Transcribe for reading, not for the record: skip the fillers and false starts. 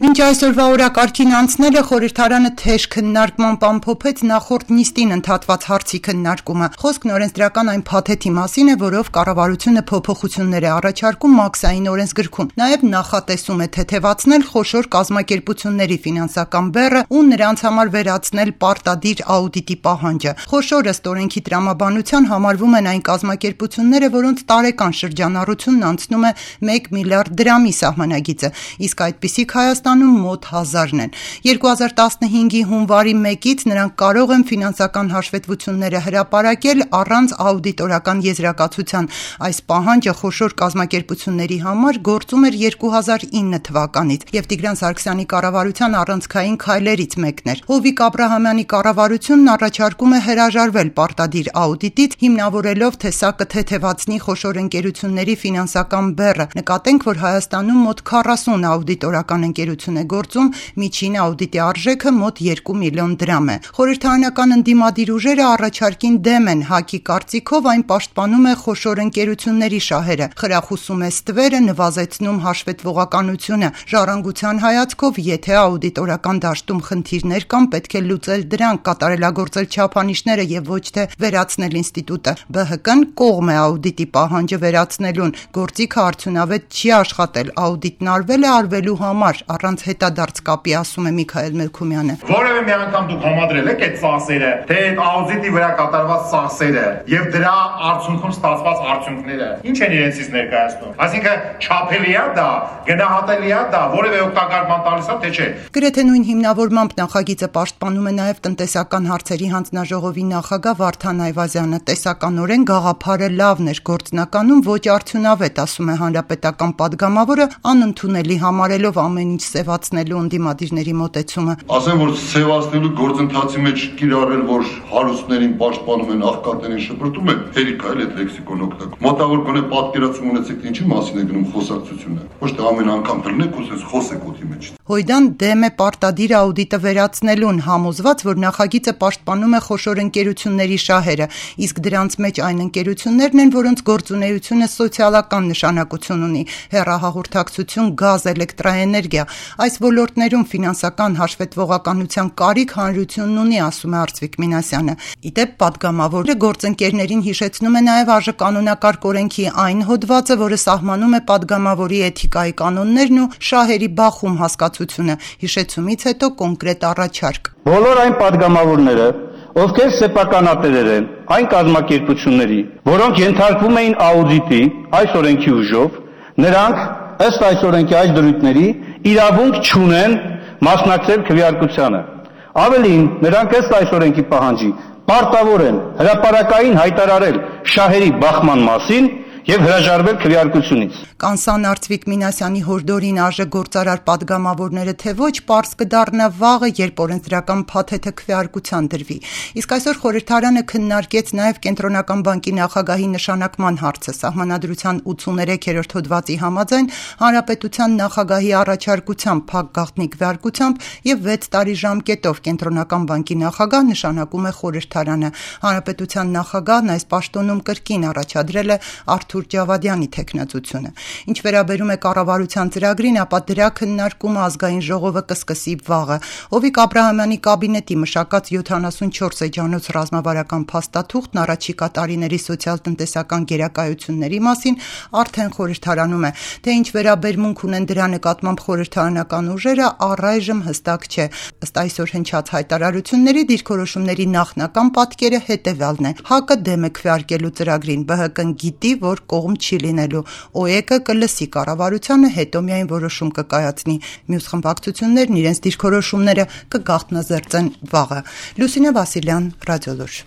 Մինչ այսօրվա օրակարգին անցնելը խորհրդարանը թեժ քննարկմամբ ամփոփեց նախորդ նիստին ընդհատված հարցի քննարկումը։ Խոսքն օրենսդրական այն փաթեթի մասին է, որով կառավարությունը փոփոխություններ է առաջարկում մաքսային օրենսգրքում։ Նաև նախատեսում է թեթևացնել խոշոր կազմակերպությունների ֆինանսական բեռը ու նրանց համար վերացնել պարտադիր աուդիտի պահանջը։ Խոշոր ըստ օրենքի տրամաբանության համարվում են այն կազմակերպությունները, որոնց տարեկան շրջանառությունն անցնում է 1 միլիարդ դրամի սահմանագիծը, իսկ այդպիսիք Հայաստանում մոտ 1000-ն են։ 2015-ի հունվարի 1-ից նրանք կարող են ֆինանսական հաշվետվությունները հրապարակել առանց աուդիտորական եզրակացության։ Այս պահանջը խոշոր կազմակերպությունների համար գործում էր 2009 թվականից եւ Տիգրան Սարգսյանի կառավարության առանցքային քայլերից մեկն էր։ Հովիկ Աբրահամյանի կառավարությունն առաջարկում է հրաժարվել պարտադիր աուդիտից, հիմնավորելով, թե սա կթեթևացնի խոշոր ընկերությունների ֆինանսական բեռը։ Նկատենք, որ Հայաստանում մոտ 40 աուդիտորական ընկերություն է գործում, միջին աուդիտի արժեքը մոտ 2 միլիոն դրամ է։ Խորհրդարանական ընդդիմադիր ուժերը առաջարկին դեմ են, ՀԱԿ-ի կարծիքով այն պաշտպանում է խոշոր ընկերությունների շահերը, խրախուսում է ստվերը, նվազեցնում հաշվետվողականությունը։ Ժառանգության հայացքով, եթե աուդիտորական դաշտում խնդիրներ կան, պետք է լուծել դրանք, կատարելագործել չափանիշները եւ ոչ թե վերացնել ինստիտուտը։ ԲՀԿ-ն կողմ է աուդիտի պահանջը վերացնելուն, գործիքը արդյունավետ չի աշխատել, աուդիտն արվել է արվելու համար, առանց հետադարձ կապի, ասում է Միքայել Մելքումյանը։ Որևէ մի անգամ դուք համադրել եք այդ ծախսերը, թե այդ աուդիտի վրա կատարված ծախսերը եւ դրա արդյունքում ստացված արդյունքները ինչ են իրենցից ներկայացնում։ Այսինքն չափելի է դա, գնահատելի է դա, որևէ օգտակար բան տալիս է, թե չէ։ Գրեթե նույն հիմնավորմամբ նախագիծը պաշտպանում է նաև տնտեսական հարցերի հանձնաժողովի նախագահ Վարդան Այվազյանը։ Տեսականորեն գաղափարը լավն էր, գործնականում ոչ արդյունավետ, ասում է հանրապետական падգամավորը, անընդունելի համարելով ամեն ինչ սևացնելու ընդդիմադիրների մոտեցումը։ Ասեմ, որ սևացնելու գործընթացի մեջ կիրառել, որ հարուստներին պաշտպանում են, աղքատներին շպրտում են, հերիք է այդ լեքսիկոն օգտագործում։ Մոտավոր գոնե պատկերացում ունեցեք, թե ինչի մասին է գնում խոսակցությունը։ Ոչ թե ամեն անգամ դրնեք ու խոսեք օդի մեջ։ Հույդան դեմ է պարտադիր աուդիտը վերացնելուն, համոզված, որ նախագիծը պաշտպանում է խոշոր ընկերությունների շահերը, իսկ դրանց մեջ այն ընկերություններն են, որոնց գործունեությունը սոցիալական նշանակություն ունի, հեռահաղորդակցություն, գազ, էլեկտրաէներգիա։ Այս ոլորտներում ֆինանսական հաշվետվողականության կարիք հանրությունն ունի, ասում է Արծվիկ Մինասյանը։ Իդեպ падգամավորը գործընկերներին հիշեցնում է նաև ԱԺ օրենքի այն հոդվածը, որը սահմանում է падգամավորի էթիկայի կանոններն ու շահերի բախում հասկացությունը, հիշեցումից հետո կոնկրետ առաջարկ։ Բոլոր այն падգամավորները, ովքեր սեփականատերեր են այն կազմակերպությունների, որոնք ենթարկվում էին աուդիտի այս օրենքի ուժով, նրանք ըստ այս օրենքի այս դրույթների իրավունք չունեն մասնակցել քվեարկությանը։ Ավելին, նրանք ըստ այս օրենքի պահանջի պարտավոր են հրապարակային հայտարարել շահերի բախման մասին եւ հրաժարվել քվեարկությունից։ Կանսան Արծվիկ Մինասյանի հորդորին ԱԺ գործարար падգամավորները թե ոչ պարզ կդառնա վաղը, երբ օրենսդրական փաթեթը քվեարկության դրվի։ Իսկ այսօր խորհրդարանը քննարկեց նաև Կենտրոնական բանկի նախագահի նշանակման հարցը։ Սահմանադրության 83-րդ հոդվածի համաձայն Հանրապետության նախագահի առաջարկությամբ փակ գաղտնի քվեարկությամբ եւ 6 տարի ժամկետով Կենտրոնական բանկի նախագահ նշանակում է խորհրդարանը։ Հանրապետության նախագահն այս պաշտոնում կրկին առաջադրել է Արթուր Ջավադյանի թեկնածությունը։ Ինչ վերաբերում է կառավարության ծրագրին, ապա դրա քննարկումը ազգային ժողովը կսկսի վաղը։ Հովիկ Աբրահամյանի կաբինետի մշակած 74 էջանոց ռազմավարական փաստաթուղթն առաջիկա տարիների սոցիալ-տնտեսական գերակայությունների մասին արդեն խորհրդարանում է։ Թե ինչ վերաբերմունք ունեն դրա նկատմամբ խորհրդարանական ուժերը, առայժմ հստակ չէ։ Ըստ այսօր հնչած հայտարարությունների դիրքորոշումների նախնական պատկերը հետևյալն է. ՀԱԿ-ը դեմ է քվեարկելու ծրագրին, ԲՀԿ-ն գիտի, որ կողմ չի լինելու, ՕԵԿ-ը կլսի կառավարությանը, հետո միայն որոշում կկայացնի։ Մյուս խմբակցություններն իրենց դիրքորոշումները կգաղտնազերծեն վաղը։ Լուսինե Վասիլյան, Ռադիոլուր։